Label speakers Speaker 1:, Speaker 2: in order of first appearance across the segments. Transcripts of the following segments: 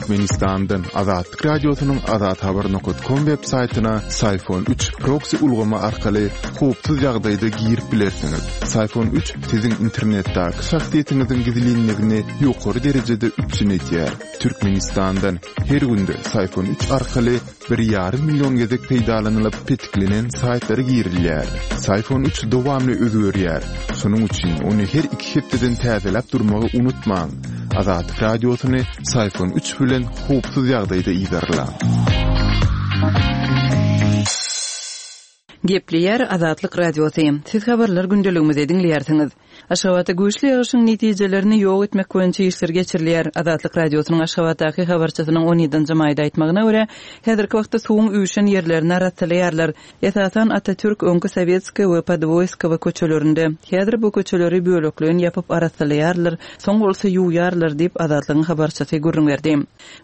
Speaker 1: Türkmenistandan Azatlyk Radiosynyň azathabar nokat kom web saýtyna Syfon 3 proksi ulgamy arkaly howpsuz ýagdaýda girip bilersiňiz. Syfon 3 siziň internetdäki şahsyýetiňiziň gizlinligini ýokary derejede üpjün edýär. Türkmenistandan her günde Syfon 3 arkaly bir ýarym million gezek peýdalanylyp petiklenen saýtlara girilýär. Syfon 3 dowamly özgerýär. Şonuň üçin ony her iki hepdeden täzeläp durmagy unutmaň. Azatlyk Radiosyny Syfon 3 bilen howpsuz ýagdaýda yzarlaň.
Speaker 2: Gepleýär Azatlyk Radiosy. Siz habarlar gündeligimizi diňleýärsiňiz. Aşgabatda güýçli ýagyşyň netijelerini ýok etmek boýunça işler geçirilýär. Azatlyk Radiosynyň Aşgabatdaky habarçysynyň on ýedinji maýda aýtmagyna görä, häzirki wagtda suwuň üýşen ýerlerini arassalaýarlar. Esasan, Atatürk, öňki Sowetskaýa we Podwoýskowa köçelerinde. Häzir bu köçeleri bölekleýin ýapyp arassalaýarlar, soň bolsa ýuwýarlar diýip, Azatlygyň habarçysy gürrüň berdi.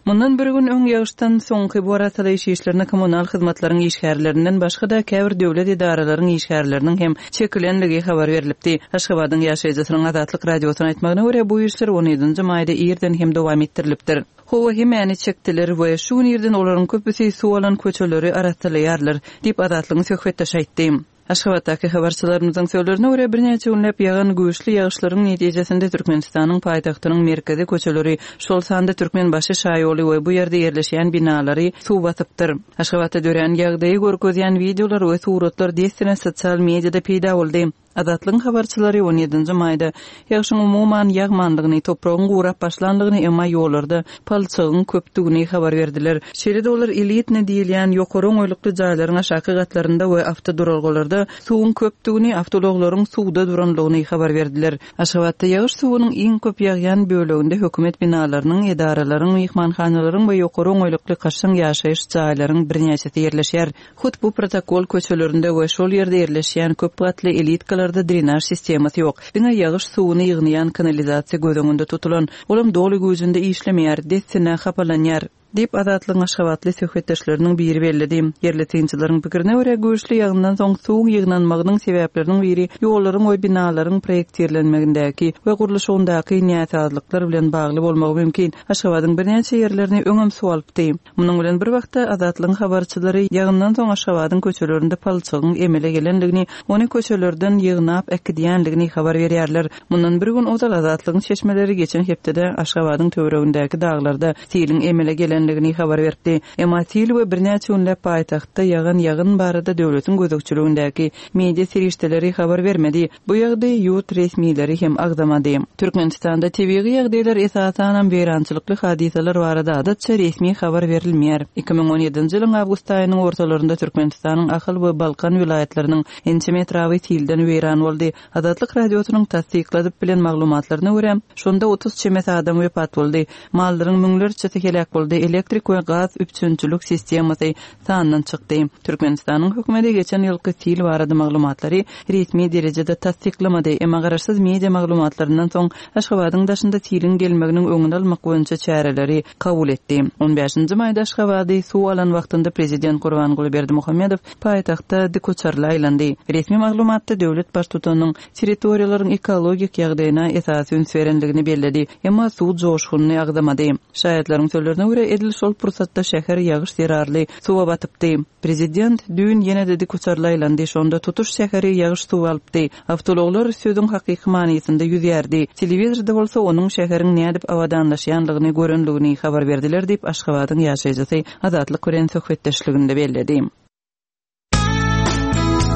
Speaker 2: Mundan bir gün öň ýagyşdan soňky bu arassalaýyş işlerine kommunal hyzmatlaryň işgärlerinden başga-da käbir döwlet edaralaryň işgärleriniň hem çekilenligi habar berlipdi. Aşgabadyň ýaşaýjysynyň Azatlyk Radiosyna aýtmagyna görä, bu işler on ýedinji maýda irden hem dowam etdirilipdir. Hawa, hemmäni çekdiler we şu gün irden olaryň köpüsi suw alan köçeleri arassalaýarlar, diýip, Azatlygyň söhbetdeşi aýtdy. Aşgabatdaky habarçylarymyzyň sözlerine görä, birnäçe günläp ýagan güýçli ýagyşlaryň netijesinde Türkmenistanyň paýtagtynyň merkezi köçeleri, şol sanda Türkmenbaşy şaýoly we bu ýerde ýerleşýän binalary suw basypdyr. Aşgabatda dörän ýagdaýy görkezýän wideolar we suratlar dessine sosial mediada peýda boldy. Azatlygyň habarçylary on ýedinji maýda ýagşyň umuman ýagmanlygyny, topragyň gurap başlanlygyny, emma ýollarda palçygyň köpdügini habar berdiler. Şeýle-de olar elitnyý diýilýän ýokary oňaýlykly jaýlaryň aşaky gatlarynda we awtoduralgalarda suwuň köpdügini, awtoulaglaryň suwda duranlygyny habar berdiler. Aşgabatda ýagyş suwunyň iň köp ýagýan böleginde hökümet binalarynyň, edaralaryň, myhmanhanalaryň we ýokary oňaýlykly kaşaň ýaşaýyş jaýlaryň birnäçesi ýerleşýär. Hut bu protokol köçelerinde we şol ýerde ýerleşýän köp gatly elitkalarda drenaž sistemasy ýok. Diňe ýagyş suwuny ýygnaýan kanalizasiýa göz öňünde tutulan. Olam doly güýjünde işlemeýär, dessine hapalanýar. Diýip, Azatlygyň aşgabatly söhbetdeşleriniň biri belledi. Ýerli synçylaryň pikirine görä, güýçli ýagyndan soň suwuň ýygnanmagynyň sebäpleriniň biri ýollaryň we binalaryň proýektirlenmegindäki we gurluşygyndaky näsazlyklar bilen bagly bolmagy mümkin. Aşgabadyň birnäçe ýerlerini öňem suw alypdy. Munuň bilen bir wagtda, Azatlygyň habarçylary ýagyndan soň Aşgabadyň köçelerinde palçygyň emele gelendigini, ony köçelerden ýygnap äkidýändigini habar berýärler. Mundan bir gün ozal Azatlygyň çeşmeleri geçen hepdede Aşgabadyň töweregindäki daglarda siliň emele gelendigini habar beripdi. Emma sil we birnäçe günläp paýtagtda ýagan ýagyn barada döwletiň gözegçiligindäki media serişdeleri habar bermedi. Bu ýagdaýy ýurt resmileri hem agzamady. Türkmenistanda tebigy ýagdaýlar, esasanam weýrançylykly hadysalar barada adatça resmi habar berilmeýär. 2017-nji ýylyň awgust aýynyň ortalarynda Türkmenistanyň Ahal we Balkan welaýatlarynyň ençeme etraby silden weýran boldy. Azatlyk Radiosynyň tassykladyp bilen maglumatlaryna görä, şonda 30 çemesi adam wepat boldy. Mallaryň müňlerçesi heläk boldy, elektrik we gaz üpjünçilik sistemasy sandan çykdy. Türkmenistanyň hökümeti geçen ýylky sil barada maglumatlary resmi derejede tassyklamady, emma garaşsyz media maglumatlaryndan soň Aşgabadyň daşynda siliň gelmeginiň öňüni almak boýunça çäreleri kabul etdi. On bäşinji maýda Aşgabady suw alan wagtynda prezident Gurbanguly Berdimuhamedow paýtagtda dikuçarly aýlandy. Resmi maglumatda döwlet baştutanynyň territoriýalaryň ekologik ýagdaýyna esasy üns berendigini belledi, emma suw joşgunyny agzamady. Şaýatlaryň sözlerine görä, edil şol pursatda şäher ýagyş zerarly suwa batypdy. Prezident düýn ýene-de dikuçarly aýlandy, şonda tutuş şäheri ýagyş suwy alypdy. Awtoulaglar sözüň hakyky manysynda ýüzýärdi. Telewizorda bolsa onuň şäheriň nädip abadanlaşýanlygyny görenligini habar berdiler diýip, Aşgabadyň ýaşaýjysy Azatlyk bilen söhbetdeşliginde belledi.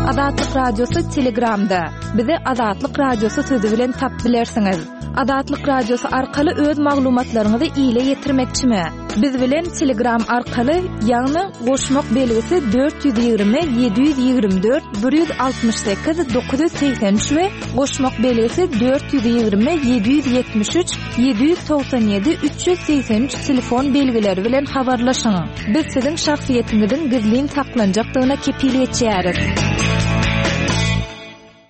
Speaker 3: Azatlyk Radiosy Telegramda. Bizi Azatlyk Radiosy sözi bilen tap bilersiňiz. Azatlyk Radiosy arkaly öz maglumatlaryňyzy ile ýetirmekçimi? Biz bilen Telegram arkaly, ýagny goşmak belgisi 420 724 168 983 we goşmak belgisi 420 773 797 383 telefon belgileri bilen habarlaşyň. Biz siziň şahsyýetiňiziň gizlin saklanjakdygyna kepil geçýäris.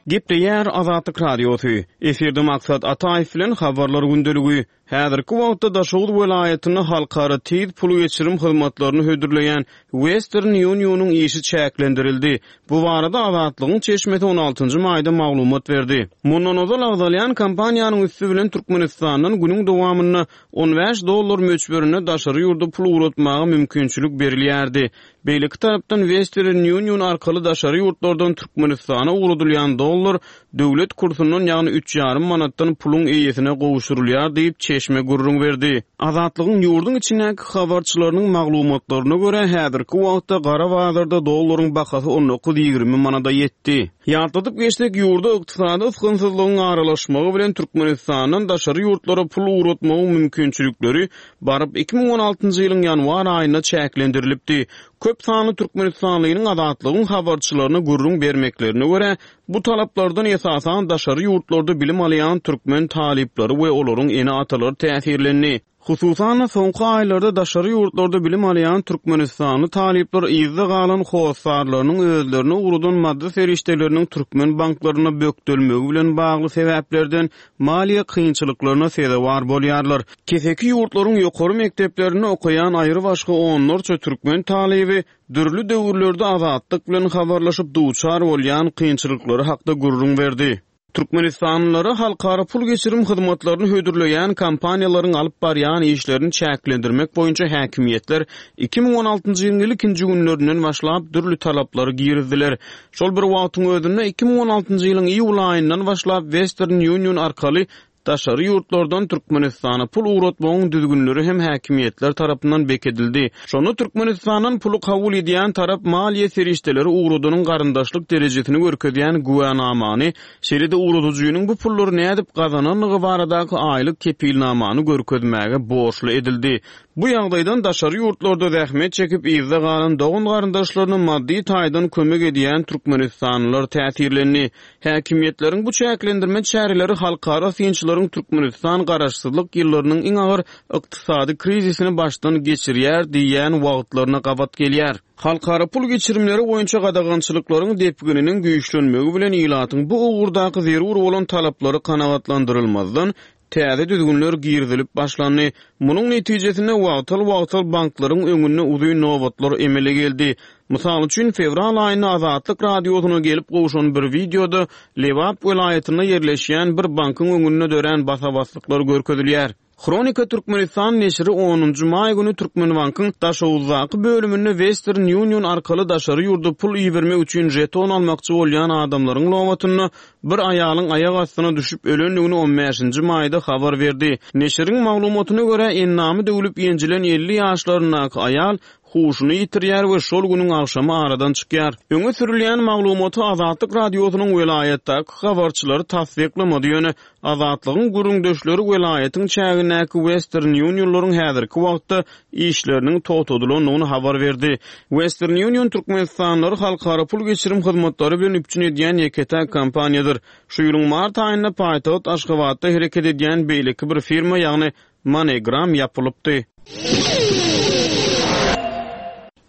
Speaker 4: Gepleýär Azatlyk Radiosy, Efirde Maksat Ataýew bilen Habarlar gündeligi. Häzirki wagtda Daşoguz welaýatynda halkara tiz pul geçirim hyzmatlaryny hödürleýän Western Union-yň işi çäklendirildi. Bu barada Azatlygyň çeşmesi on altynjy maýda maglumat berdi. Mundan ozal agzalýan kompaniýanyň üsti bilen Türkmenistandan günüň dowamynda 15 dollar möçberinde daşary ýurda pul ugratmaga mümkinçilik berilýärdi. Beýleki tarapdan Western Union arkaly daşary ýurtlardan Türkmenistana ugradylýan dollar döwlet kursundan, ýagny üç ýarym manatdan puluň eýesine gowşurylýar diýip, çeşme gürrüň berdi. Azatlygyň ýurduň içindäki habarçylarynyň maglumatlaryna görä, häzirki wagtda gara bazarda dollaryň bahasy 19-20 manada ýetdi. Ýatladyp geçsek, ýurda ykdysady ysgynsyzlygyň aralaşmagy bilen Türkmenistandan daşary ýurtlara pul ugratmagyň mümkinçilikleri baryp 2016-njy ýylyň ýanwar aýynda çäklendirilipdi. Köp sanly türkmenistanlynyň Azatlygyň habarçylaryna gürrüň bermeklerine görä, bu talaplardan esasan daşary ýurtlarda bilim alýan türkmen talyplary we olaryň ene-atalary täsirlendi. Hususan-da, soňky aýlarda daşary ýurtlarda bilim alýan türkmenistanly talyplar yzda galan hossarlarynyň özlerine ugradan maddy serişdeleriniň türkmen banklarynda bökdelmegi bilen bagly sebäplerden maliýe kynçylyklaryna sezewar bolýarlar. Keseki ýurtlaryň ýokary mekdeplerinde okaýan aýrybaşga onlarça türkmen talyby dürli döwürlerde Azatlyk bilen habarlaşyp duçar bolýan kynçylyklary hakda gürrüň berdi. Türkmenistanlylara halkara pul geçirim hyzmatlaryny hödürleýän kompaniýalaryň alyp barýan işlerini çäklendirmek boýunça häkimiýetler 2016-njy ýylyň ilkinji günlerinden başlap dürli talaplary girizdiler. Şol bir wagtyň özünde, 2016-njy ýylyň iýul aýyndan başlap Western Union arkaly Daşary ýurtlardan Türkmenistana pul ugratmagyň düzgünleri hem häkimiýetler tarapyndan bekedildi. Şonda Türkmenistandan puly kabul edýän tarap maliýe serişdeleri ugradanyň garyndaşlyk derejesini görkezýän güwänamany, şeýle-de ugradyjynyň bu pullary nädip gazanandygy baradaky aýlyk kepilnamany görkezmäge borçly edildi. Bu ýagdaýdan daşary ýurtlarda zähmet çekip yzda galan dogan-garyndaşlaryna maddy taýdan kömek edýän türkmenistanlylar täsirlendi. Häkimiýetleriň bu çäklendirme çäreleri halkara synçylaryň Türkmenistan garaşsyzlyk ýyllarynyň iň agyr ykdysady krizisini başdan geçirýär diýýän wagtlaryna gabat gelýär. Halkara pul geçirimleri boýunça gadagançylyklaryň depgininiň güýçlenmegi bilen ilatyň bu ugurdaky zerur bolan talaplary kanagatlandyrylmazdan, täze düzgünler girizilip başlandy. Munuň netijesinde wagtal-wagtal banklaryň öňünde uzyn nobatlar emele geldi. Mysal üçin, fewral aýynda Azatlyk Radiosyna gelip gowşan bir wideoda Lebap welaýatynda ýerleşýän bir bankyň öňünde dörän basa-baslyklar görkezilýär. Hronika Türkmenistan neşiri onunjy maý güni Türkmenbankyň Daşoguzdaky bölüminde Western Union arkaly daşary ýurda pul ibermek üçin žeton almakçy bolýan adamlaryň nobatynda bir aýalyň aýak astyna düşüp ölendigini on bäşinji maýda habar berdi. Neşiriň maglumatyna görä, endamy döwlüp ýenjilen 50 ýaşlaryndaky aýal huşuny ýitirýär we şol günüň agşamy aradan çykýar. Öňe sürülýän maglumaty Azatlyk Radiosynyň welaýatdaky habarçylary tassyklamady, ýöne Azatlygyň gürrüňdeşleri welaýatyň çägindäki Western Unionlaryň häzirki wagtda işleriniň togtadylandygyny habar berdi. Western Union türkmenistanlylary halkara pul geçirim hyzmatlary bilen üpjün edýän ýeke-täk kompaniýadyr. Şu ýylyň mart aýynda paýtagt Aşgabatda hereket edýän beýleki bir firma, ýagny MoneyGram ýapylypdy.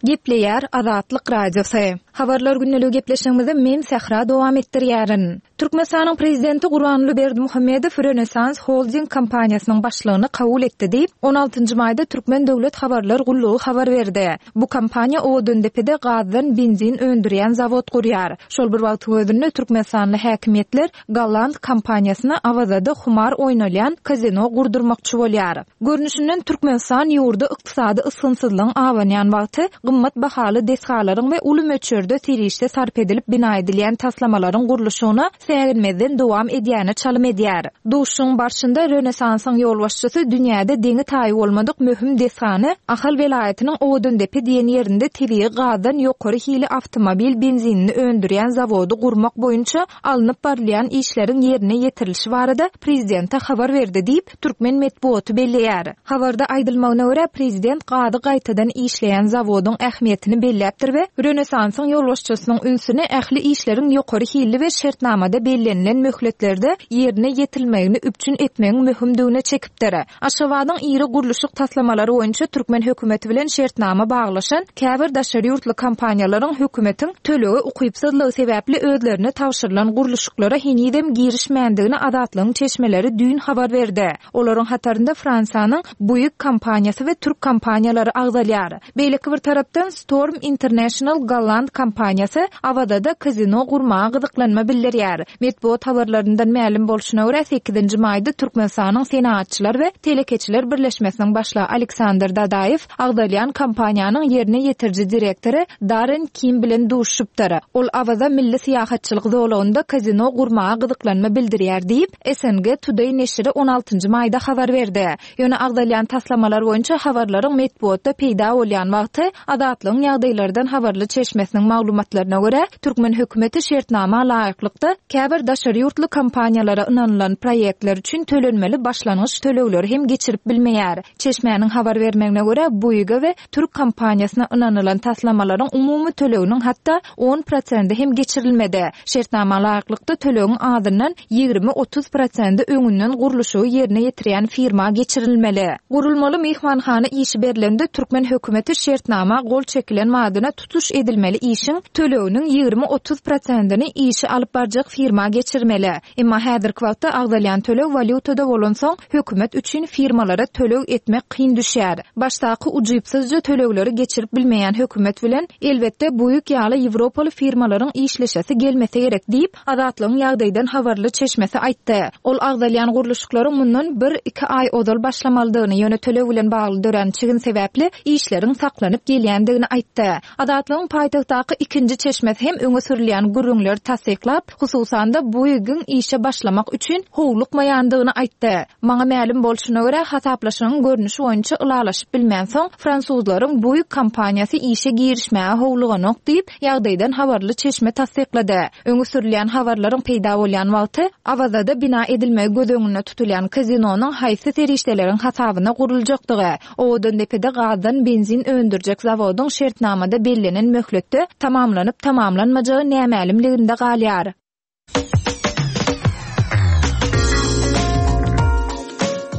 Speaker 3: Gepleýär Azatlyk Radiosy. Habarlar gündeligi gepleşigimizi men Sähra dowam etdirýärin. Türkmenistanyň Prezidenti Gurbanguly Berdimuhamedow Rönesans Holding kompaniýasynyň başlygyny kabul etdi diýip, on altynjy maýda Türkmen döwlet habarlar gullugy habar berdi. Bu kompaniýa Owadandepede gazdan benzin öndürýän zawod gurýar. Şol bir wagtyň özünde türkmenistanly häkimiýetler golland kompaniýasyna Awazada humar oýnalýan kazino gurdurmakçy bolýar. Görnüşinden, Türkmenistan ýurda ykdysady ysgynsyzlygyň abanýan wagty gymmat bahaly desgalaryň we uly möçberde serişde sarp edilip bina edilýän taslamalaryň gurluşygyna säginmezden dowam edýäne çalym edýär. Duşuşygyň barşynda Rönesansyň ýolbaşçysy dünýäde deňi-taýy bolmadyk möhüm desgany Ahal welaýatynyň Owadandepe diýen ýerinde tebigy gazdan ýokary hili awtomobil benzinini öndürýän zawody gurmak boýunça alnyp barylýan işleriň ýerine ýetirilişi barada prezidente habar berdi diýip, türkmen metbugaty belleýär. Habarda aýdylmagyna görä, prezident gazy gaýtadan işleýän zawodyň ähmiýetini belläpdir we Rönesansyň. ýolbaşçysynyň ünsüni ähli işleriň ýokary hilli we şertnamada bellenilen möhletlerde ýerine ýetirilmegini üpjün etmegiň möhümdigine çekipdir. Aşgabadyň iri gurluşyk taslamalary boýunça türkmen hökümeti bilen şertnama baglaşan käbir daşary ýurtly kompaniýalaryň hökümetiň tölege ukypsyzlygy sebäpli özlerine tabşyrylan gurluşyklara henizem girişmändigini Azatlygyň çeşmeleri düýn habar berdi. Olaryň hatarynda Fransiýanyň Buig kompaniýasy we türk kompaniýalary agzalýar. Beýleki bir tarapdan, Storm International golland kompaniýasy Awazada kazino gurmaga gyzyklanma bildirýär. Metbugat habarlaryndan mälim bolşuna görä, sekizinji maýda Türkmenistanyň Senagatçylar we telekeçiler birleşmesiniň başlygy Aleksandr Dadaýew agzalýan kompaniýanyň ýerine ýetiriji direktory Darren Kim bilen duşuşypdyr. Ol Awaza milli syýahatçylyk zolagynda kazino gurmaga gyzyklanma bildirýär diýip, SNG Today neşiri on altynjy maýda habar berdi. Ýöne agzalýan taslamalar boýunça habarlaryň metbugatda peýda bolýan wagty, Azatlygyň ýagdaýlardan habarly çeşmesiniň maglumatlaryna görä, türkmen hökümeti şertnama laýyklykda, käbir daşary ýurtly kompaniýalara ynanylan proýektler üçin tölenmeli başlangyç tölegleri hem geçirip bilmeýär. Çeşmäniň habar bermegine görä, Buiga we Türk kompaniýasyna ynanylan taslamalaryň umumy töleginiň hatda on prosendi hem geçirilmedi. Şertnama laýyklykda tölegiň azyndan 20-30 prosendi öňünden gurluşygy ýerine ýetirýän firma geçirilmeli. Gurulmaly myhmanhana işi berlende türkmen hökümeti şertnama gol çekilen badyna tutuş edilmeli işiň töleginiň 20-30 prosendini işi alyp barjak firma geçirmeli. Emma häzirki wagtda agzalýan töleg walýutada bolansoň, hökümet üçin firmalara töleg etmek kyn düşýär. Başdaky ujypsyzja tölegleri geçirip bilmeýän hökümet bilen, elbetde, Buig ýaly ýewropaly firmalaryň işleşesi gelmese gerek diýip, Azatlygyň ýagdaýdan habarly çeşmesi aýtdy. Ol agzalýan gurluşyklaryň mundan bir-iki aý ozal başlamalydygyny, ýöne töleg bilen bagly dörän çigin sebäpli işleriň saklanyp gelýändigini aýtdy. Azatlygyň paýtagtdaky ikinji çeşmesi hem öňe sürülýän gürrüňleri tassyklap, hususan-da, Buigiň işe başlamak üçin howlukmaýandygyny aýtdy. Maňa mälim bolşuna görä, hasaplaşygyň görnüşi boýunça ylalaşyp bilmänsoň, fransuzlaryň Buig kompaniýasy işe girişmäge howluganok diýip, ýagdaýdan habarly çeşme tassyklady. Öňe sürülýän habarlaryň peýda bolýan wagty, Awazada bina edilmegi göz öňünde tutulýan kazinonyň haýsy serişdeleriň hasabyna guruljakdygy, Owadandepede gazdan benzin öndürjek zawodyň şertnamada bellenen möhletde tamamlanyp-tamamlanmajagy nämälimliginde galýar.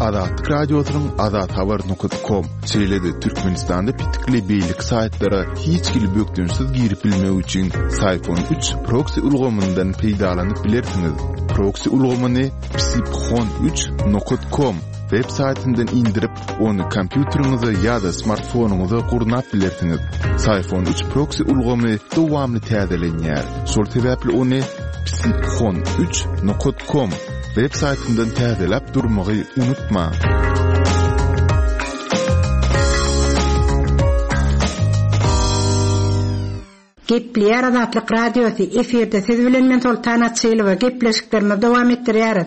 Speaker 1: Azatlyk Radiosynyň azathabar nokat kom, şeýle-de Türkmenistanda petikli beýleki saýtlara hiç hili bökdençsiz girip bilmek üçin Syfon üç proksi ulgamyndan peýdalanyp bilersiňiz. Proksi ulgamyny psiphon üç nokat kom web saýtyndan indirip, Ony kompýuteriňize ýa-da smartfonyňyza gurnap bilersiňiz. Syfon üç proksi ulgamy dowamly täzelenýär. Şol sebäpli ony psiphon üç nokat kom web saýtyndan täzeläp durmagy unutmaň.
Speaker 5: Gepleýär Azatlyk Radiosy, efirde siz bilen men Soltan Açylowa, gepleşiklerimizi dowam etdirýäris.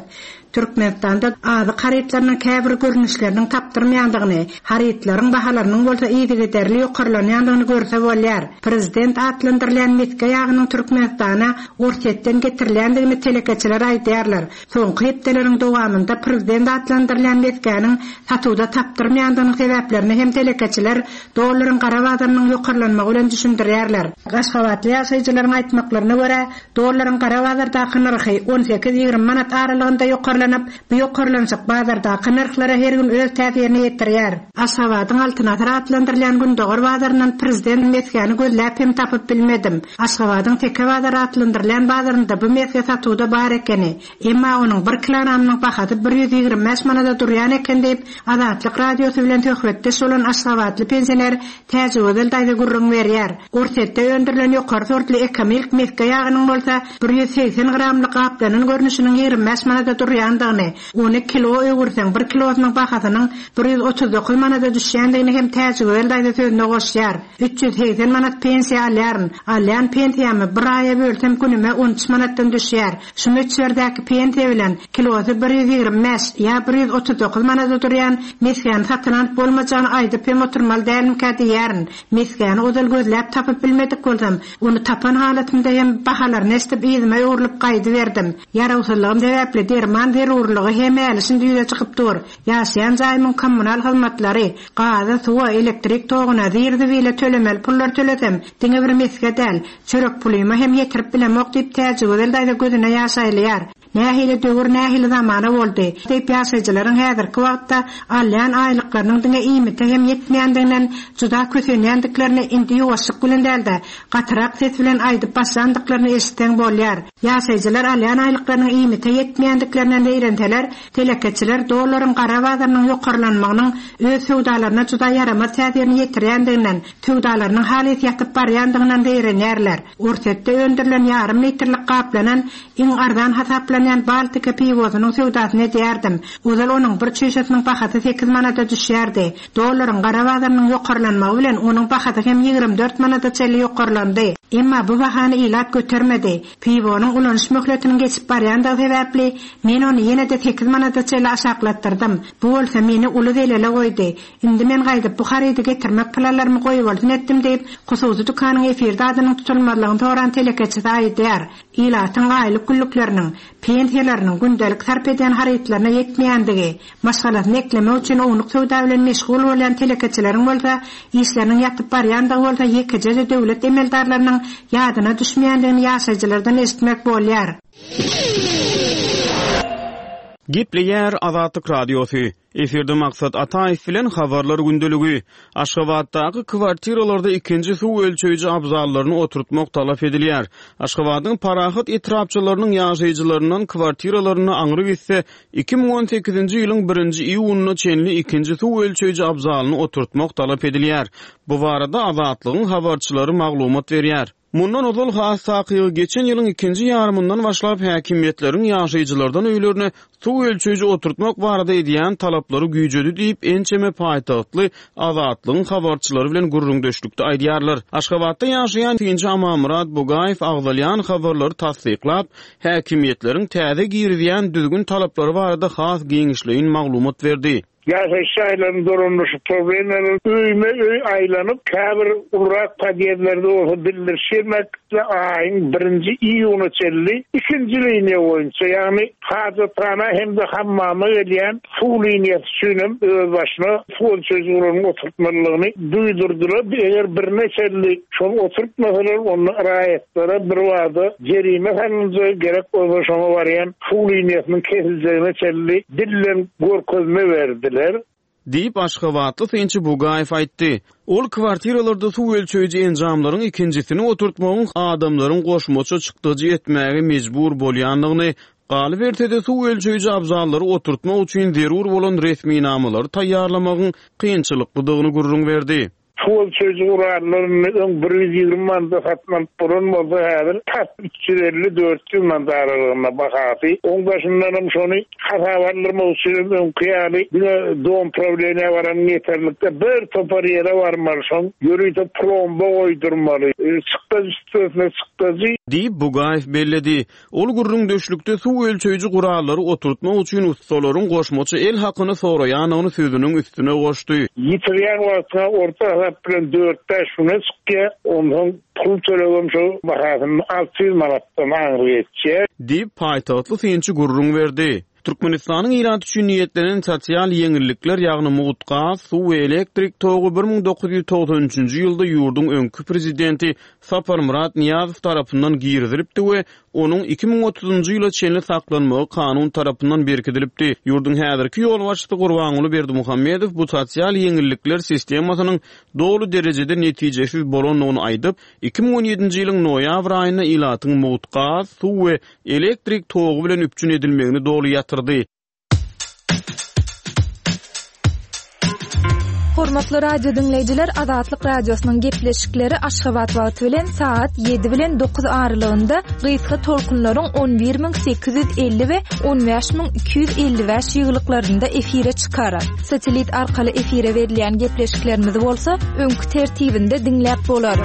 Speaker 5: Türkmenistanda azyk harytlarynyň käbir görnüşleriniň tapdyrmaýandygyny, harytlaryň bahalarynyň bolsa yzygiderli ýokarlanýandygyny görse bolýar. Prezident atlandyrylýan mesge ýagynyň Türkmenistana Orsýetden getirilýändigini telekeçiler aýdýarlar. Soňky hepdeleriň dowamynda prezident atlandyrylýan mesgäniň satuwda tapdyrmaýandygynyň sebäplerini hem telekeçiler Dollaryň gara bazarynyň ýokarlanmagy bilen düşündirýärler. Aşgabatly ýaşaýjylaryň aýtmaklaryna görä, dollaryň gara bazardaky nyrhy on sekiz-ýigrimi manat aralygynda ýokarlanyp, bu ýokarlanyşyk bazardaky nyrhlara her gün öz täsirini ýetirýär. Aşgabadyň Altyn asyr atlandyrylýan gündogar bazaryndan prezident mesgäni gözläp hem tapyp bilmedim. Aşgabadyň Teke bazary atlandyrylýan bazarynda bu mesge satuwda bar ekeni. Emma onuň bir kilogramynyň bahasy 125 manada durýan eken diýip, Azatlyk Radiosy bilen söhbetdeş bolan aşgabatly pensioner Täjigözel daýza gürrüň berýär. Orsýetde öndürilen ýokary sortly Ekomilk mesge ýagynyň bolsa 180 gramly gaplanan görnüşiniň 25 manada durýandygyny, ony kilo öwürseň, bir kilosynyň bahasynyň 139 manada düşýändigini hem Täjigözel daýza sözüne goşýar. 380 manat pensiýa alýaryn. Alýan pensiýamy bir aýa bölsem günüme on üç manatdan düşýär. Şu möçberdäki pensiýa bilen kilosy 125 ýa 139 manada durýan mesgäni satyn alyp bolmajagyny aýdyp hem oturmaly dälmikä diýýärin. Mesgäni ozal gözläp tapyp bilmedik bolsam, ony tapan halatymda hem bahalaryny eşidip yzyma öwrülip gaýdyberdim. Ýarawsyzlygym sebäpli derman. zerurlygy hem häli-şindi ýüze çykyp dur. Ýaşaýan jaýymyň kommunal hyzmatlary, gaza, suwa, elektrik toguna, zir-zibile tölemeli pullary tölesem, diňe bir mesge däl, çörek pulyma hem ýetirip bilemok diýip, Täjigözel daýza gözüne ýaş aýlaýar. Nähili döwür, nähili zamana boldy? Diýip, ýaşaýjylaryň häzirki wagtda alýan aýlyklarynyň diňe iýmite hem ýetmeýändiginden juda kösenýändiklerini indi ýuwaşlyk bilen däl-de, gatyrak ses bilen aýdyp başlandyklaryny eşitseň bolýar. Ýaşaýjylar alýan aýlyklarynyň iýmite ýetmeýändiklerinden zeýrenseler, telekeçiler dollaryň gara bazarynyň ýokarlanmagynyň öz söwdalaryna juda ýaramaz täsirini ýetirýändiginden, söwdalarynyň halys ýatyp barýandygyndan zeýrenýärler. Orsýetde öndürilen ýarym litrlik gaplanan, iň arzan hasaplanýan Baltika piwosynyň söwdasyny edýärdim. Ozal onuň bir çüýşesiniň bahasy sekiz manada düşýärdi. Dollaryň gara bazarynyň ýokarlanmagy bilen onuň bahasy hem 24 manada çenli ýokarlandy. Emma bu bahany ilat götermedi. Piwonyň ulanyş möhletiniň geçip barýandygy sebäpli, men ony ýene-de sekiz manada çenli aşaklatdyrdym. Bu bolsa meni uly zelele goýdy. Indi men gaýdyp bu harydy getirmek planlarymy goýbolsun etdim diýip, hususy dükanyň efirde adynyň tutulmazlygyny soran telekeçisi aýdýar. Ilatyň aýlyk-günlükleriniň, pensiýalarynyň gündelik sarp edýän harytlaryna ýetmeýändigi, maşgalasyny eklemek üçin ownuk söwda bilen meşgul bolýan telekeçileriň bolsa işleriniň ýatyp barýandygy bolsa ýekeje-de döwlet emeldarlarynyň ýadyna düşmeýändigini ýaşaýjylardan eşitmek bolýar.
Speaker 4: Gepleýär Azatlyk Radiosy. Efirde Maksat Ataýew bilen Habarlar gündeligi. Aşgabatdaky kwartiralarda ikinji suw ölçeýji abzallaryny oturtmak talap edilýär. Aşgabadyň Parahat etrapçalarynyň ýaşaýjylaryndan kwartiralarynda aňry gitse, 2018-nji ýylyň birinji iýunyna çenli ikinji suw ölçeýji abzalyny oturtmak talap edilýär. Bu barada Azatlygyň habarçylary maglumat berýär. Mundan ozal, has takygy, geçen ýylyň ikinji ýarymyndan başlap häkimiýetleriň ýaşaýjylardan öýlerine suw ölçeýji oturtmak barada edýän talaplary güýjedi diýip, ençeme paýtagtly Azatlygyň habarçylary bilen gürrüňdeşlikde aýdýarlar. Aşgabatda ýaşaýan synçy Amanmyrat Bugaýew agzalýan habarlary tassyklap, häkimiýetleriň täze girizýän düzgün-talaplary barada has giňişleýin maglumat berdi.
Speaker 6: Ýaşaýyş jaýlaryny dolandyryş problemalary öýme-öý aýlanyp, käbir ulurak podýezdlerde bolsa bildiriş bermekle aýyň birinji iýunyna çenli ikinji liniýa boýunça, ýagny hajathana hem-de hammama gelýän suw liniýasy üçin hem özbaşyna suw ölçeýji guralyny oturtmalydygyny duýdurdylar. Eger birine çenli şony oturtmasalar, onda raýatlara birbada jerime salynjagy, gerek bolsa şoňa barýan suw liniýasynyň kesiljegine çenli dilden görkezme berdiler.
Speaker 4: Diýip, aşgabatly synçy Bugaýew aýtdy. Ol kwartiralarda suw ölçeýji enjamlaryň ikinjisini oturtmagyň adamlaryň goşmaça çykdajy etmäge mejbur bolýandygyny, galyberse-de, suw ölçeýji abzallary oturtmak üçin zerur bolan resminamalary taýýarlamagyň kynçylyklydygyny gürrüň berdi.
Speaker 6: Suw ölçeýji gurallaryny öň 120 manada satyn alyp bolan bolsa, häzir tas 350-400 manat aralygynda bahasy. Oň daşyndanam şony hasaba aldyrmak üçinem öňki ýaly diňe dom prawleniýä baranyň ýeterlikde bir topar ýere barmaly, şoň ýörite plomba goýdurmaly. Çykdajy üstesine çykdajy.
Speaker 4: Diýip, Bugaýew belledi. Ol gürrüňdeşlikde suw ölçeýji gurallary oturtmak üçin ussalaryň goşmaça el hakyny soraýandygyny sözüniň üstüne goşdy.
Speaker 6: Ýitirýän wagtyňa orta hasap bilen dört-bäş güne çykýar. Onsoň pul tölegem şo bahasynyň 600 manatdan aňry geçýär.
Speaker 4: Diýip, paýtagtly synçy gürrüň berdi. Türkmenistanyň ilaty üçin niýetlenen sosial ýeňillikler, ýagny mugt gaz, suw we elektrik togy 1993-nji ýylda ýurduň öňki prezidenti Saparmyrat Nyýazow tarapyndan girizilipdi we onuň 2030-njy ýyla çenli saklanmagy kanun tarapyndan berkidilipdi. Ýurduň häzirki ýolbaşçysy Gurbanguly Berdimuhamedow bu sosial ýeňillikler sistemasynyň doly derejede netijesiz bolandygyny aýdyp, 2017-nji ýylyň noýabr aýynda ilatyň mugt gaz, suw we elektrik togy bilen üpjün edilmegini doly ýatyrdy.
Speaker 3: Hormatly radio diňleýjiler, Azatlyk Radiosynyň gepleşikleri Aşgabat wagty bilen sagat 7 bilen 9 aralygynda gysga tolkunlaryň 11850 we 15255 ýygylyklarynda efire çykar. Satellit arkaly efire berilýän gepleşiklerimizi bolsa öňki tertibinde diňläp bolar.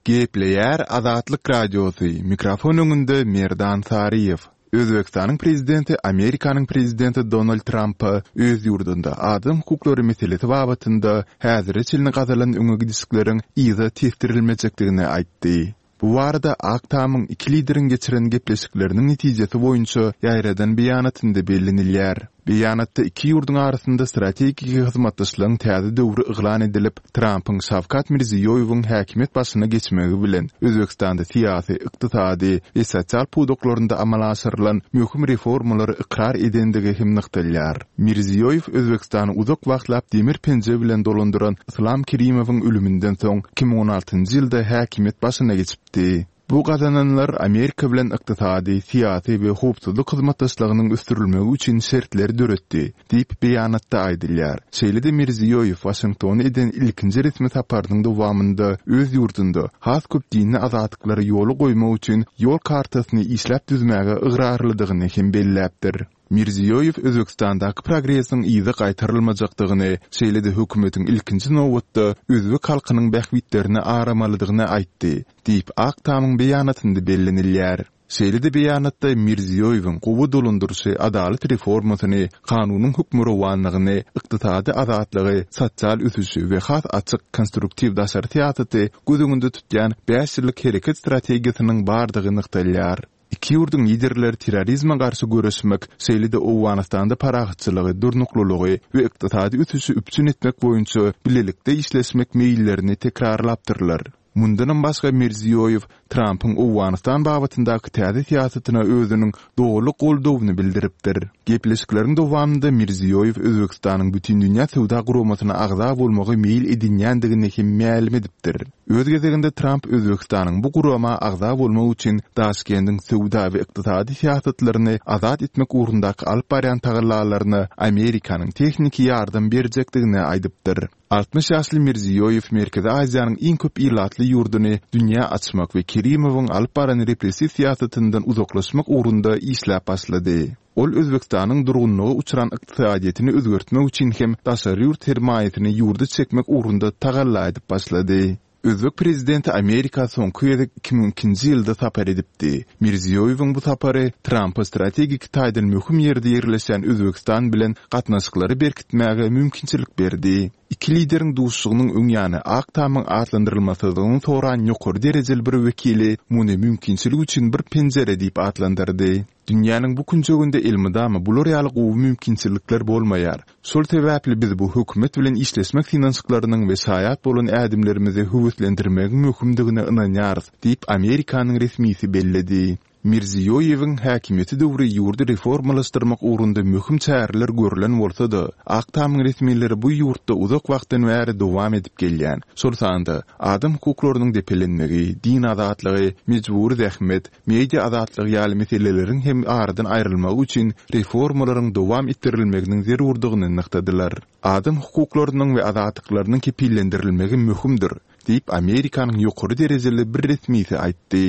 Speaker 1: Gepleýär Azatlyk Radiosy, mikrofon öňünde Merdan Saryýew. Özbegistanyň prezidenti Amerikanyň prezidenti Donald Trampa öz ýurdunda adam hukuklary meselesi babatynda häzire çenli gazalan öňe gidişlikleriň yza tesdirilmejekdigini aýtdy. Bu barada Ak Tamyň iki lideriň geçiren gepleşikleriniň netijesi boýunça ýaýradan beýanatynda bellenilýär. Beýanatda iki ýurduň arasynda strategiki hyzmatdaşlygyň täze döwri yglan edilip, Trampyň Şawkat Mirziýoýewiň häkimiýet başyna geçmegi bilen Özbegistanda syýasy, ykdysady we sosial pudaklarynda amala aşyrylan möhüm reformalary ykrar edendigi hem nygtalýar. Mirziýoýew Özbegistany uzak wagtlap demir penje bilen dolandyran Yslam Kerimowyň ölüminden soň 2016-njy ýylda häkimiýet başyna geçipdi. Bu gazananlar Amerika bilen ykdysady, syýasy we howpsuzlyk hyzmatdaşlygynyň ösdürilmegi üçin şertleri döretdi, diýip, beýanatda aýdylýar. Şeýle-de Mirziýoýew Waşingtona eden ilkinji resmi saparynyň dowamynda öz ýurdunda has köp dini azatlyklary ýola goýmak üçin ýol kartasyny işläp düzmäge ygrarlydygyny hem belläpdir. Mirziýoýew Özbegistandaky progresiň yza gaýtarylmajakdygyny, şeýle-de hökümetiň ilkinji nobatda özbek halkynyň bähbitlerini aramalydygyny aýtdy, diýip, Ak Tamyň beýanatynda bellenilýär. Şeýle-de beýanatda Mirziýoýewiň gowy dolandyryşy, adalat reformasyny, kanunyň hökmürowanlygyny, ykdysady azatlygy, sosial ösüşi we has açyk, konstruktiw daşary syýasaty göz öňünde tutýan bäş ýyllyk hereket strategiýasynyň bardygy nygtalýar. Iki ýurduň Liderleri terrorizme garşy göreşmek, şeýle-de Owganystanda parahatçylygy, durnuklylygy we ykdysady ösüşi üpjün etmek boýunça bilelikde işleşmek meýillerini tekrarlapdyrlar. Mundanam başga Mirziýoýew Trampyň Owganystan babatyndaky täze syýasatyna özüniň doly goldawyny bildiripdir. Gepleşikleriň dowamynda Mirziýoýew Özbegistanyň Bütindünýä Söwda Guramasyna agza bolmagy meýil edinýändigini hem mälim edipdir. Öz gezeginde Tramp Özbegistanyň bu gurama agza bolmak üçin Daşkendiň söwda we ykdysady syýasatlaryny azat etmek ugrundaky alyp barýan tagallalaryna Amerikanyň tehniki ýardam berjekdigini aýdypdyr. 60 ýaşly Mirziýoýew Merkezi Aziýanyň iň köp ilatly ýurduny dünýä açmak we Kerimowyň alyp baran repressiw syýasatyndan uzaklaşmak ugrunda işläp başlady. Ol Özbegistanyň durgunlyga uçran ykdysadyýetini özgertmek üçin hem daşary ýurt sermaýasyny ýurda çekmek ugrunda tagalla edip başlady. Özbek prezidenti Amerika soňky gezek 2002-nji ýylda sapar edipdi. Mirziýoýewiň bu sapary Trampa strategik taýdan möhüm ýerde ýerleşýän Özbegistan bilen gatnaşyklary berkitmäge mümkinçilik berdi. Iki lideriň duşuşygynyň öň ýany Ak Tamyň atlandyrylmasyzlygyny soran ýokary derejeli bir wekili muny mümkinçilik üçin bir penjire diýip atlandyrdy. Dünýäniň bu künjeginde elmydama bular ýaly gowy mümkinçilikler bolmaýar. Şol sebäpli biz bu hökümet bilen işleşmek synanyşyklarynyň we şaýat bolan ädimlerimizi höweslendirmegiň möhümdigine ynanýarys, diýip, Amerikanyň resmisi belledi. Mirziýoýewiň häkimiýeti döwri ýurdy reformalaşdyrmak ugrunda möhüm çäreler görlen bolsa-da, Ak Tamyň resmileri bu ýurtda uzak wagtdan bäri dowam edip gelýän, şol sanda, adam hukuklarynyň depelenmegi, din azatlygy, mejbury zähmet, media azatlygy ýaly meseleleriň hem aradan aýrylmagy üçin reformalaryň dowam etdirilmeginiň zerurdygyny nygtadylar. Adam hukuklarynyň we azatlyklarynyň kepillendirilmegi möhümdir, diýip, Amerikanyň ýokary derejeli bir resmisi aýtdy.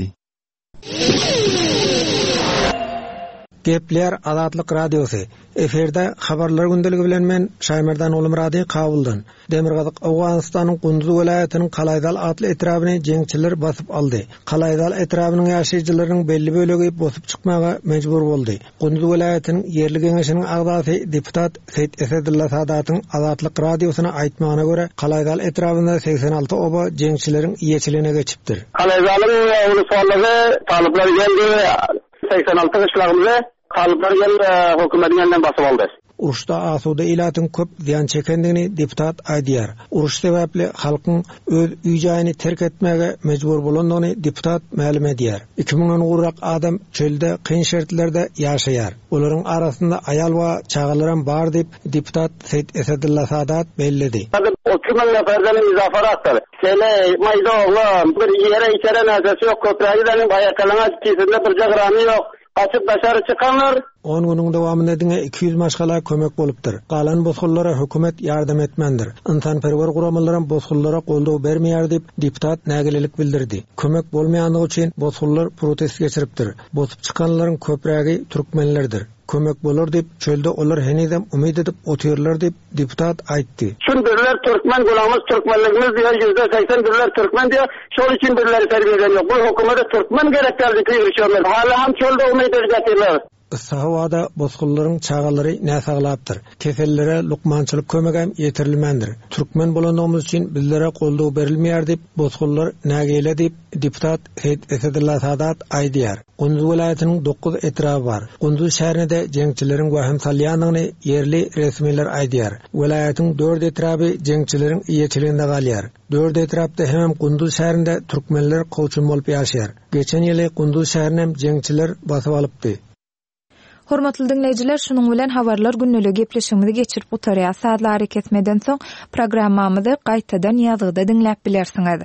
Speaker 7: Gepleýär Azatlyk Radiosy. Efirde Habarlar gündeligi bilen men, Şaýmerdan Gulmyrady, Kabuldan. Demirgazyk Owganystanyň Gunduz welaýatynyň Kalaýzal atly etrabyny jeňçiler basyp aldy. Kalaýzal etrabynyň ýaşaýjylarynyň belli bölegi bosup çykmaga mejbur boldy. Gunduz welaýatynyň ýerli geňeşiniň agzasy deputat Seýit Esedulla Sadatyň Azatlyk Radiosyna aýtmagyna görä, Kalaýzal etrabynda 86 oba jeňçileriň eýeçiligine geçipdir.
Speaker 8: Kalaýzalyň ulusgallygy talyplar geldi, 86 gyşlagymyzy talyplar geldi, hökümetiň elinden basyp aldy.
Speaker 7: Uruşda asuda ilatyň köp zyýan çekendigini deputat aýdýar. Uruş sebäpli halkyň öz öý-jaýyny terk etmäge mejbur bolandygyny deputat mälim edýär. Iki müňden gowrak adam çölde kyn şertlerde ýaşaýar. Olaryň arasynda aýal we çagalaram bar diýip, deputat Seýit Esedulla Sadat belledi.
Speaker 8: 30 müň neferden izafarakdyr. Heleý, maýda oglan, bir iýere içere närsesi ýok, köprägi zeniň aýakalaňaç, kisesinde birje gramy ýok. Gaçyp daşary çykanlar.
Speaker 7: On günüň dowamynda diňe 200 maşgala kömek bolupdyr. Galan bosgunlara hökümet ýardam etmändir. Ynsanperwer guramalaram bosgunlara goldaw bermeýär diýip, deputat nägilelik bildirdi. Kömek bolmaýandygy üçin bosgunlar protest geçiripdir. Bosup çykanlaryň köprägi türkmenlerdir. Kömek bolar diýip, çölde olar henizem umyt edip otyrlar diýip, deputat aýtdy.
Speaker 8: Çün bizler türkmen günahymyz türkmenligimiz diýýär 80% bizler türkmen diýýär şol üçin bizleri terbiýe eden ýok bu hökümede türkmen gerek däl diýip gygyryşýarlar hala hem çölde umyt edip ýatyrlar.
Speaker 7: Yssy howada bosgunlaryň çagalary näsaglapdyr. Kesellilere lukmançylyk kömegem ýetirilmändir. Türkmen bolandygymyz üçin bizlere goldaw berilmeýär diýip, bosgunlar nägile diýip, deputat Seýit Esedulla Sadat aýdýar. Gunduz welaýatynyň dokuz etraby bar. Gunduz şäherine-de jeňçileriň wehim salýandygyny ýerli resmiler aýdýar. Welaýatyň dört etraby jeňçileriň eýeçiliginde galýar. Dört etrapda hemem Gunduz şäherinde türkmenler kowçum bolup ýaşaýar. Geçen ýyly Gunduz şäherinem jeňçiler basyp alypdy.
Speaker 3: Hormatly diňleýjiler, şunuň bilen Habarlar gündeliği gepleşigimizi geçirip gutarýas. Sazly arakesmeden soň programmamyzy gaýtadan ýazgyda diňläp bilersiňiz.